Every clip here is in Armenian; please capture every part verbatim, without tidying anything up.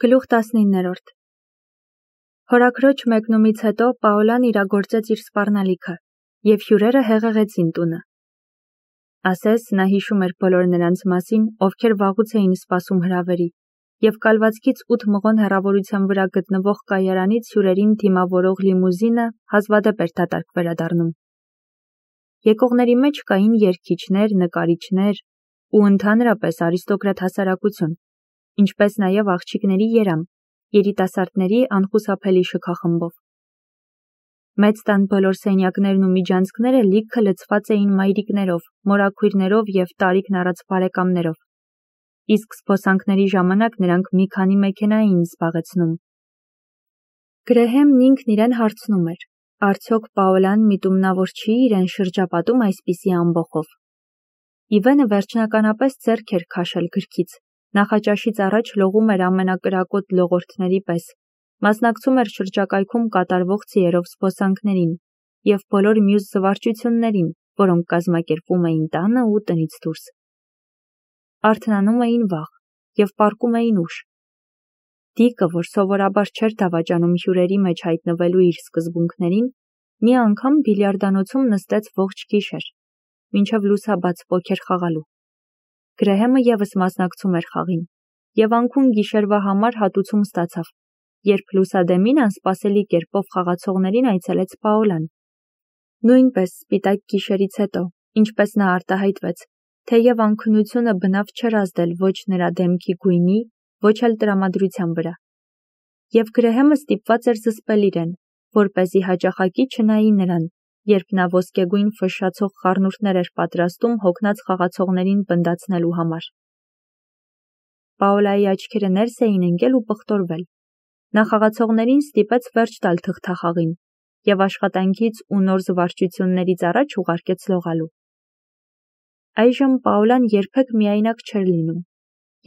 Գլուխ տասնիններորդ Հորաքրոջ մեկնումից հետո Պաոլան իրագործեց իր սպառնալիքը, և հյուրերը հեղեղեցին տունը։ Ասես նա հիշում էր բոլոր նրանց մասին, ովքեր վաղուց էին սպասում հրավերի, և կալվածքից ութ մղոն հեռավորության վրա գտնվող կայարանից հյուրերին դիմավորող լիմուզինը հազվադեպ էր դատարկ վերադառնում։ Եկողների մեջ կային երգիչներ, նկարիչներ ու ընդհանրապես արիստոկրատ հասարակություն, ինչպես նաև աղջիկների երամ, երիտասարդների անխուսափելի շքախմբով։ Մեծ տան բոլոր սենյակներն ու միջանցքները լիքը լցված էին մայրիկներով, մորաքույրներով և տարիքն առած բարեկամներով, իսկ զբոսանքների ժամանակ նրանք մի քանի մեքենա էին զբաղեցնում։ Գրեհեմն ինքն իրեն հարցնում էր. արդյոք Պաոլան միտումնավոր չի իրեն շրջապատում այսպիսի ամբոխով։ Իվենը վերջնականապես ձեռք էր քաշել գրքից, նախաճաշից առաջ լողում էր ամենակրակոտ լողորդների պես, մասնակցում էր շրջակայքում կատարվող ձիերով զբոսանքներին և բոլոր մյուս զվարճություններին, որոնք կազմակերպվում էին տանը ու տնից դուրս։ Արթնանում էին վաղ և պառկում էին ուշ։ Դիկը, որ սովորաբար չէր դավաճանում հյուրերի մեջ հայտնվելու իր սկզբունքներին, մի անգամ բիլիարդանոցում նստեց ողջ գիշեր, մինչև լուսաբաց պոքեր խաղալու։ Գրեհեմը ևս մասնակցում էր խաղին, և անքուն գիշերվա համար հատուցում ստացավ, երբ լուսադեմին անսպասելի կերպով խաղացողներին այցելեց Պաոլան։ Նույնպես սպիտակ գիշերից հետո, ինչպես նա արտահայտվեց, թեև անքնությունը բնավ չէր ազդել ոչ նրա դեմքի գույնի, ոչ էլ տրամադրության վրա։ Եվ Գրեհեմը ստիպված էր զսպել իրեն, որպեսզի հաճախակի չնայի նրան, երբ նա ոսկեգույն ֆշշացող խառնուրդներ էր պատրաստում հոգնած խաղացողներին պնդացնելու համար։ Պաոլայի աչքերը ներս էին ընկել ու պղտորվել։ Նա խաղացողներին ստիպեց վերջ տալ թղթախաղին և աշխատանքից ու նոր զվարճություններից առաջ ուղարկեց լողալու։ Այժմ Պաոլան երբեք միայնակ չէր լինում,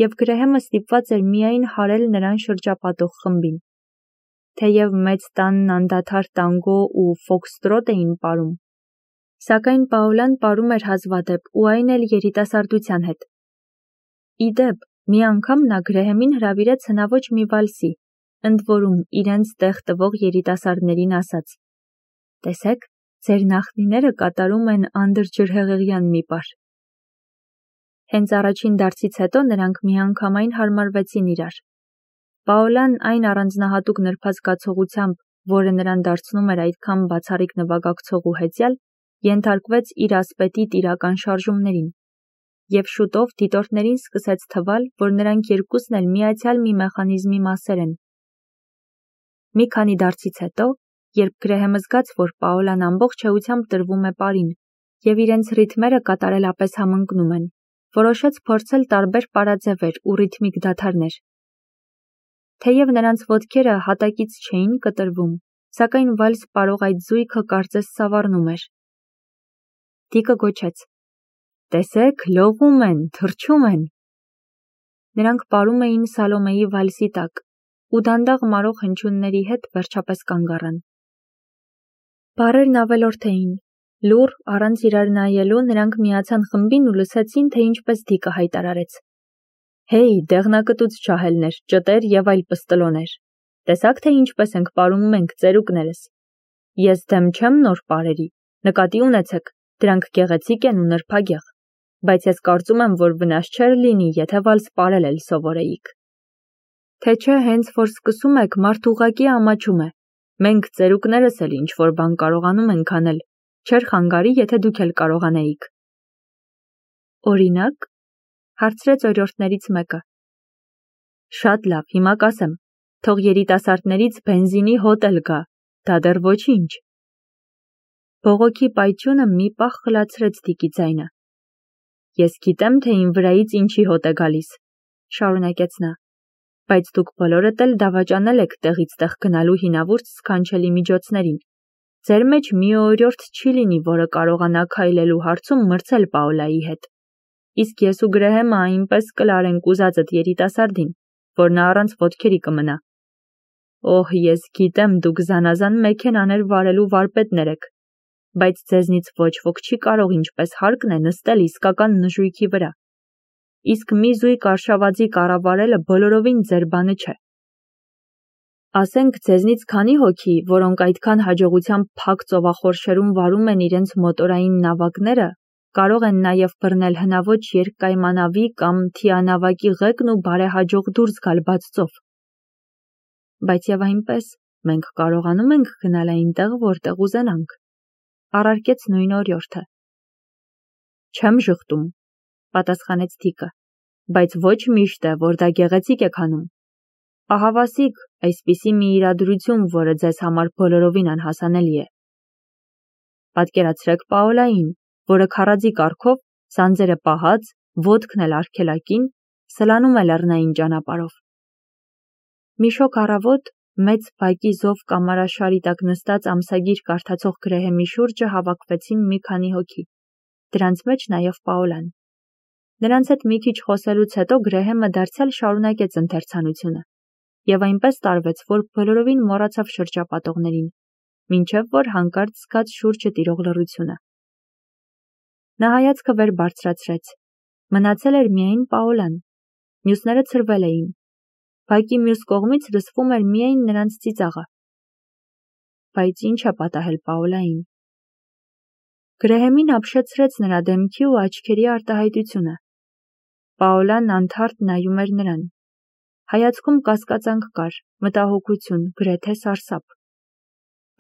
և Գրեհեմը ստիպված էր միայն հարել նրան շրջապատող խմբին։ Թեև մեծ տանն անդադար տանգո ու ֆոքստրոտ էին պարում, սակայն Պաոլան պարում էր հազվադեպ ու այն էլ երիտասարդության հետ։ Ի դեպ, մի անգամ նա Գրեհեմին հրավիրեց հնաոճ մի վալսի, ընդ որում իրենց տեղ տվող երիտասարդներին ասաց. «Տեսեք, ձեր նախնիները կատարում են անդրջրհեղեղյան մի պար»։ Հենց առաջին դարձից հետո նրանք միանգամայն հարմարվեցին իրար։ Պաոլան այն առանձնահատուկ նրբազգացողությամբ, որը նրան դարձնում էր այդքան բացառիկ նվագակցող ու հեծյալ, ենթարկվեց իր ասպետի տիրական շարժումներին, և շուտով դիտորդներին սկսեց թվալ, որ նրանք երկուսն էլ միացյալ մի մեխանիզմի մասեր են։ Մի քանի դարձից հետո, երբ Գրեհեմը զգաց, որ Պաոլան ամբողջ էությամբ տրվում է պարին, և իրենց ռիթմերը կատարելապես համընկնում են, որոշեց փորձել տարբեր պարաձևեր ու ռիթմիկ դադարներ։ Թեև նրանց ոտքերը հատակից չէին կտրվում, սակայն վալս պարող այդ զույգը կարծես սավառնում էր։ Դիկը գոչեց. «Տեսեք, լողում են, թռչում են»։ Նրանք պարում էին Սալոմեի վալսի տակ ու դանդաղ մարող հնչյունների հետ վերջապես կանգ առան։ Բառերն ավելորդ էին։ Լուռ, առանց իրար նայելու նրանք միացան խմբին ու լսեցին, թե ինչպես Դիկը հայտարարեց. «Հեյ, դեղնակտուց ջահելներ, ճտեր և այլ պստլոներ, տեսաք, թե ինչպես ենք պարում մենք, ծերուկներս։ Ես դեմ չեմ նոր պարերի, նկատի ունեցեք, դրանք գեղեցիկ են ու նրբագեղ, բայց ես կարծում եմ, որ վնաս չէր լինի, եթե վալս պարել էլ սովորեիք։ Թե չէ հենց որ սկսում եք, մարդ ուղղակի ամաչում է, մենք ծերուկներս էլ ինչ-որ բան կարողանում ենք անել, չէր խանգարի, եթե դուք էլ կարողանեիք»։ Օրինակ, հարցրեց օրիորդներից մեկը։ Շատ լավ, հիմա կասեմ, թող երիտասարդներից բենզինի հոտ էլ գա, դա դեռ ոչինչ։ Բողոքի պայթյունը մի պահ խլացրեց Դիկի ձայնը։ Ես գիտեմ, թե իմ վրայից ինչի հոտ է գալիս, շարունակեց նա, բայց դուք բոլորդ էլ դավաճանել եք տեղից տեղ գնալու հինավուրց սքանչելի միջոցներին։ Ձեր մեջ մի օրիորդ չի լինի, որը կարողանա քայլելու հարցում մրցել Պաոլայի հետ։ Իսկ ես ու Գրեհեմը այնպես կլարենք ուզածդ երիտասարդին, որ նա առանց ոտքերի կմնա։ Օհ, ես գիտեմ, դուք զանազան մեքենաներ վարելու վարպետներ եք, բայց ձեզնից ոչ ոք չի կարող ինչպես հարկն է նստել իսկական նժույգի վրա։ Իսկ մի զույգ արշավածի կառավարելը բոլորովին ձեր բանը չէ, Ասենք ձեզնից քանի հոգի, որոնք այդքան հաջողությամբ փակ ծովախորշերում վարում են իրենց մոտորային նավակները, կարող են նաև բռնել հնաոճ երկկայմանավի կամ թիանավակի ղեկն ու բարեհաջող դուրս գալ բաց ծով։ Բայց եւ այնպես, մենք կարողանում ենք գնալ այնտեղ, որտեղ ուզենանք, առարկեց նույն օրիորդը։ Չեմ ժխտում, պատասխանեց Դիկը, բայց ոչ միշտ է, որ դա գեղեցիկ է քանում։ Ահավասիկ, այսպիսի մի իրադրություն, որը ձեզ համար բոլորովին անհասանելի է։ Պատկերացրեք Պաոլային, որը քարաձի կառքով, սանձերը պահած, ոտքն էլ արգելակին, սլանում է լեռնային ճանապարհով։ Մի շոգ առավոտ մեծ բակի զով կամարաշարի տակ նստած ամսագիր կարդացող Գրեհեմի շուրջը հավաքվեցին մի քանի հոգի, դրանց մեջ նաև Պաոլան։ Նրանց հետ մի քիչ խոսելուց հետո Գրեհեմը դարձյալ շարունակեց ընթերցանությունը, եւ այնպես տարվեց, որ բոլորովին մոռացավ շրջապատողներին, մինչև որ հանկարծ զգաց շուրջը տիրող լռությունը։ Նա հայացքը վեր բարձրացրեց։ Մնացել էր միայն Պաոլան, մյուսները ցրվել էին։ Բակի մյուս կողմից լսվում էր միայն նրանց ծիծաղը։ Բայց ինչ է պատահել Պաոլային։ Գրեհեմին ապշեցրեց նրա դեմքի ու աչքերի արտահայտությունը։ Պաոլան անթարթ նայում էր նրան։ Հայացքում կասկածանք կար, մտահոգություն, գրեթե սարսափ։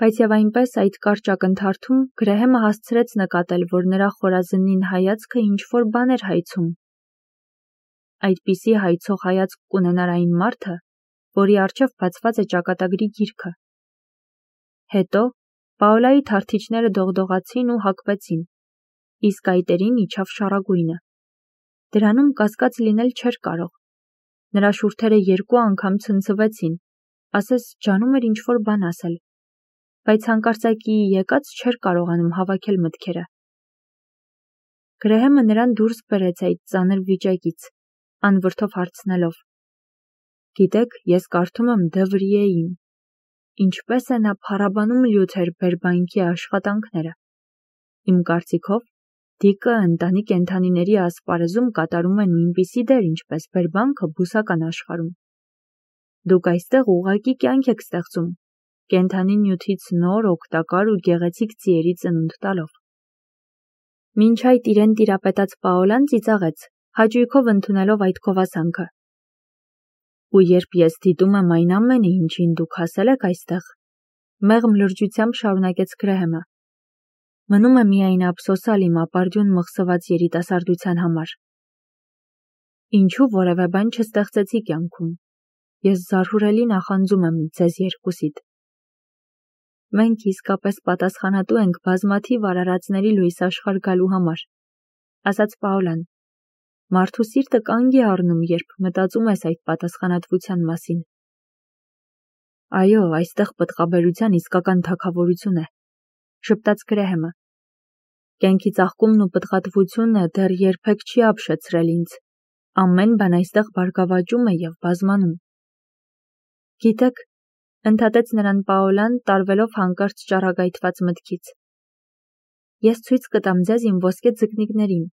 Բայց եւ այնպես այդ կարճ ակնթարթում Գրեհեմը հասցրեց նկատել, որ նրա խորազնին հայացքը ինչ-որ բան էր հայցում։ Այդպիսի հայցող հայացք կունենար այն մարդը, որի առջև բացված է ճակատագրի գիրքը։ Հետո Պաոլայի թարթիչները դողդողացին ու հակվեցին, իսկ այտերին իջավ շառագույնը։ Դրանում կասկած լինել չէր կարող։ Նրա շուրթերը երկու անգամ ցնցվեցին, ասես ջանում էր ինչ-որ բան ասել, բայց հանկարծակի եկած չէր կարողանում հավաքել մտքերը։ Գրեհեմը նրան դուրս բերեց այդ ծանր վիճակից, անվրդով հարցնելով. Գիտեք, ես կարդում եմ Դը Վրիեին, ինչպես է նա փառաբանում Լյութեր Բերբանկի աշխատանքները։ Իմ կարծիքով, Դիկը ընտանի կենդանիների ասպարեզում կատարում է նույնպիսի դեր, ինչպես Բերբանկը բուսական աշխարհում։ Դուք այստեղ ուղղակի կյանք եք ստեղծում, կենդանի նյութից նոր, օգտակար ու գեղեցիկ ձիերի ծնունդ տալով։ Մինչ այդ իրեն տիրապետած Պաոլան ծիծաղեց, հաճույքով ընդունելով այդ գովասանքը։ Ու երբ ես դիտում եմ այն ամենը, ինչին դուք հասել եք այստեղ, մեղմ լրջությամբ շարունակեց Գրեհեմը, մնում է միայն ափսոսալ իմ ապարդյուն մղսված երիտասարդության համար։ Ինչու որևէ բան չստեղծեցի կյանքում։ Ես զարհուրելի նախանձում եմ ձեզ երկուսիդ։ Մենք իսկապես պատասխանատու ենք բազմաթիվ արարածների լույս աշխարհ գալու համար, ասաց Պաոլան։ Մարդու սիրտը կանգ է առնում, երբ մտածում ես այդ պատասխանատվության մասին։ Այո, այստեղ պտղաբերության իսկական թագավորություն է, շփտաց Գրեհեմը։ Կյանքի ծաղկումն ու պտղատվությունը դեռ երբեք չի ապշեցրել ինձ։ Ամեն բան այստեղ բարգավաճում է եւ բազմանում։ Գիտեք, ընդհատեց նրան Պաոլան, տարվելով հանկարծ ճառագայթված մտքից։ Ես ցույց կտամ ձեզ իմ ոսկե ձկնիկներին։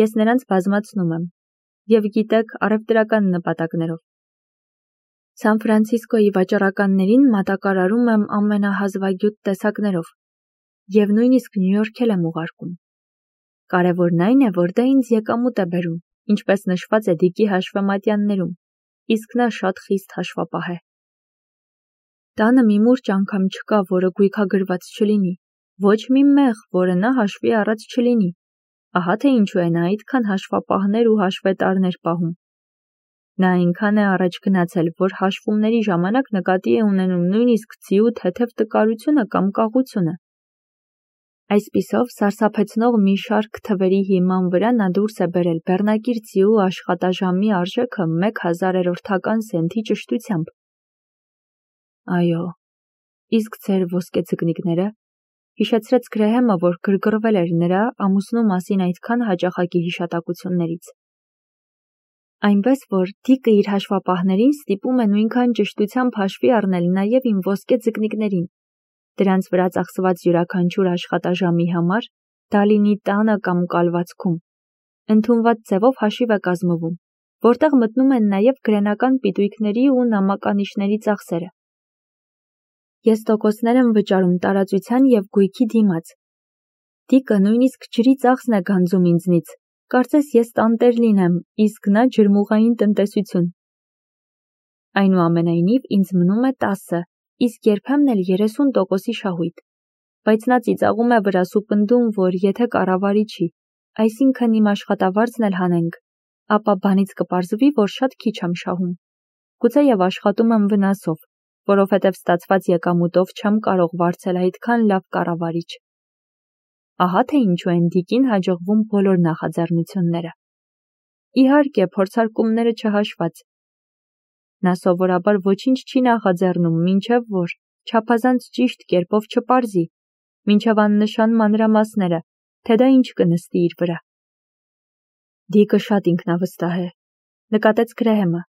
Ես նրանց բազմացնում եմ, եւ գիտեք, առևտրական նպատակներով։ Սան Ֆրանցիսկոյի վաճառականներին մատակարարում եմ ամենահազվագյուտ տեսակներով, եւ նույնիսկ Նյու Յորքել եմ ուղարկում։ Կարևորն այն է, որ դա ինձ եկամուտ է բերում, ինչպես նշված է Դիկի հաշվեմատյաններում, իսկ նա շատ խիստ հաշվապահ է։ Տանը մի մուրճ անգամ չկա, որը գույքագրված չլինի, ոչ մի մեղ, որը նա հաշվի առած չլինի։ Ահա թե ինչու է նա այդքան հաշվապահներ ու հաշվետարներ պահում։ Նա այնքան է առաջ գնացել, որ հաշվումների ժամանակ նկատի է ունենում նույնիսկ ձիու թեթև տկարությունը կամ կաղությունը։ Այսպիսով, սարսափեցնող մի շարք թվերի հիման վրա նա դուրս է բերել բեռնակիր ձիու աշխատաժամի արժեքը մեկ հազարերորդական սենթի ճշտությամբ։ Այո, իսկ ձեր ոսկե ձկնիկները, հիշեցրեց Գրեհեմը, որ գրգռվել էր նրա ամուսնու մասին այդքան հաճախակի հիշատակություններից։ Այնպես որ Դիկը իր հաշվապահներին ստիպում է նույնքան ճշտությամբ հաշվի առնել նաև իմ ոսկե ձկնիկներին, դրանց վրա ծախսված յուրաքանչյուր աշխատաժամի համար, դա լինի տանը կամ կալվածքում, ընդունված ձևով հաշիվ է կազմվում, որտեղ մտնում են նաև գրենական պիտույքների ու նամականիշների ծախսերը։ Ես տոկոսներ եմ վճարում տարածության և գույքի դիմաց։ Դիկը նույնիսկ ջրի ծախսն է գանձում ինձնից, կարծես ես տանտեր լինեմ, իսկ նա ջրմուղային տնտեսություն։ Այնուամենայնիվ ինձ մնում է տասը, իսկ երբեմն էլ երեսուն տոկոսի շահույթ։ Բայց նա ծիծաղում է վրաս ու պնդում, որ եթե կառավարի չի, այսինքն իմ աշխատավարձն էլ հանենք, ապա բանից կպարզվի, որ շատ քիչ եմ շահում։ Գուցեև աշխատում եմ վնասով, որովհետև ստացված եկամուտով չեմ կարող վարձել այդքան լավ կառավարիչ։ Ահա թե ինչու են Դիկին հաջողվում բոլոր նախաձեռնությունները։ Իհարկե, փորձարկումները չհաշված։ Նա սովորաբար ոչինչ չի նախաձեռնում, մինչև որ չափազանց ճիշտ կերպով չպարզի, մինչև աննշան մանրամասները, թե դա ինչ կնստի իր վրա։ Դիկը շատ ինքնավստահ է, նկատեց Գրեհեմը։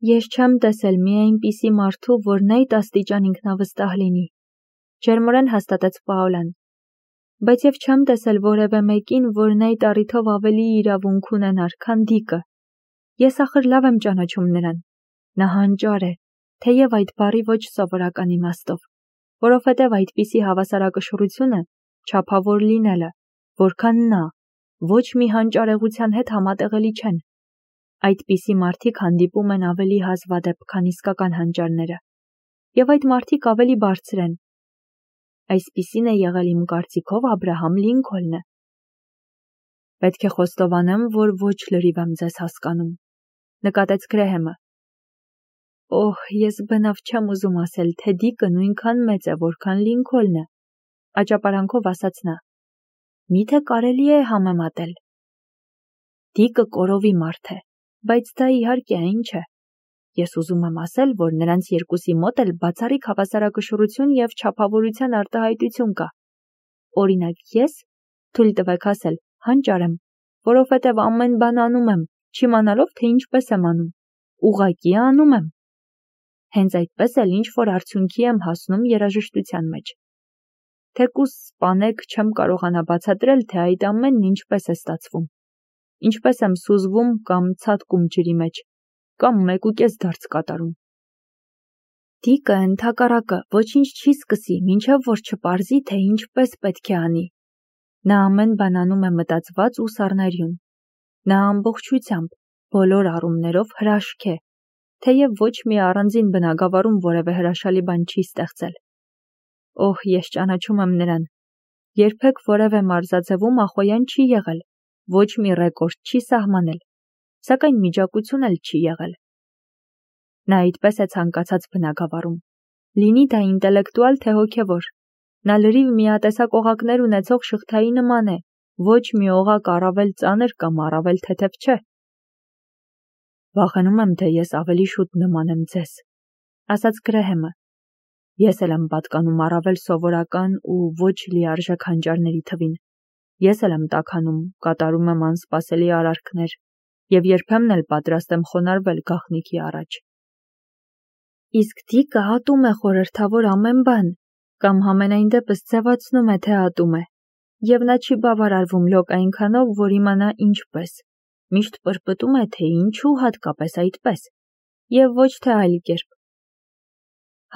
Ես չեմ տեսել մի այնպիսի մարդու, որն այդ աստիճան ինքնավստահ լինի, ջերմորեն հաստատեց Պաոլան։ Բայց և չեմ տեսել որևէ մեկին, որն այդ առիթով ավելի իրավունք ունենար, քան Դիկը։ Ես ախր լավ եմ ճանաչում նրան։ Նա հանճար է, թեև այդ բառի ոչ սովորական իմաստով, որովհետև այդպիսի հավասարակշռությունը, չափավոր լինելը, որքան նա, ոչ մի հանճարեղության հետ համատեղելի չեն։ Այդպիսի մարդիկ հանդիպում են ավելի հազվադեպ, քան իսկական հանճարները, և այդ մարդիկ ավելի բարձր են։ Այսպիսին է եղել իմ կարծիքով Աբրահամ Լինքոլնը։ Պետք է խոստովանեմ, որ ոչ լրիվ եմ ձեզ հասկանում, նկատեց Գրեհեմը։ Օհ, ես բնավ չեմ ուզում ասել, թե Դիկը նույնքան մեծ է, որքան Լինքոլնը, աճապարանքով ասաց նա։ Միթե կարելի է համեմատել։ Դիկը կորովի մարդ է, բայց դա իհարկե այն չէ։ Ես ուզում եմ ասել, որ նրանց երկուսի մոտ էլ բացառիկ հավասարակշռություն և չափավորության արտահայտություն կա։ Օրինակ ես, թույլ տվեք ասել, հանճար եմ, որովհետև ամեն բան անում եմ, չիմանալով, թե ինչպես եմ անում, ուղղակի անում եմ։ Հենց այդպես էլ ինչ-որ արդյունքի եմ հասնում երաժշտության մեջ։ Թեկուզ սպանեք չեմ կարողանա բացատրել, թե այդ ամենն ինչպես է ստացվում։ Ինչպես եմ սուզվում կամ ցատկում ջրի մեջ, կամ մեկուկես դարձ կատարում։ Դիկը ընդհակառակը ոչինչ չի սկսի, մինչև որ չպարզի, թե ինչպես պետք է անի։ Նա ամեն բան անում է մտածված ու սառնարյուն։ Նա ամբողջությամբ, բոլոր առումներով հրաշք է, թեև ոչ մի առանձին բնագավառում որևէ հրաշալի բան չի ստեղծել։ Օհ, ես ճանաչում եմ նրան։ Երբեք որևէ մարզաձևում ախոյան չի եղել, ոչ մի ռեկորդ չի սահմանել, սակայն միջակություն էլ չի եղել։ Նա այդպես է ցանկացած բնագավառում, լինի դա ինտելեկտուալ թե հոգևոր։ Նա լրիվ միատեսակ օղակներ ունեցող շղթայի նման է, ոչ մի օղակ առավել ծանր կամ առավել թեթև չէ։ Վախենում եմ, թե ես ավելի շուտ նմանեմ ձեզ, ասաց Գրեհեմը։ Ես էլ եմ պատկանում առավել սովորական ու ոչ լիարժեք հանճարների թվին։ Ես էլ եմ տաքանում, կատարում եմ անսպասելի արարքներ և երբեմն էլ պատրաստ եմ խոնարհվել գաղտնիքի առաջ։ Իսկ Դիկը ատում է խորհրդավոր ամեն բան, կամ համենայն դեպս ձևացնում է, թե ատում է, և նա չի բավարարվում լոկ այնքանով, որ իմանա ինչպես, միշտ պրպտում է, թե ինչու հատկապես այդպես, և ոչ թե այլ կերպ։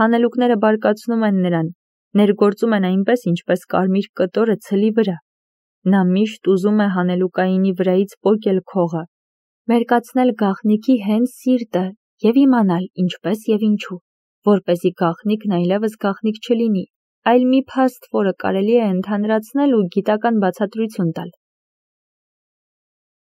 Հանելուկները բարկացնում են նրան, ներգործում են այնպես, ինչպես կարմիր կտորը ցլի վրա։ Նա միշտ ուզում է հանելուկայինի վրայից պոկել քողը, մերկացնել գաղտնիքի հենց սիրտը և իմանալ ինչպես և ինչու, որպեսզի գաղտնիքն այլևս գաղտնիք չլինի, այլ մի փաստ, որը կարելի է ընդհանրացնել ու գիտական բացատրություն տալ։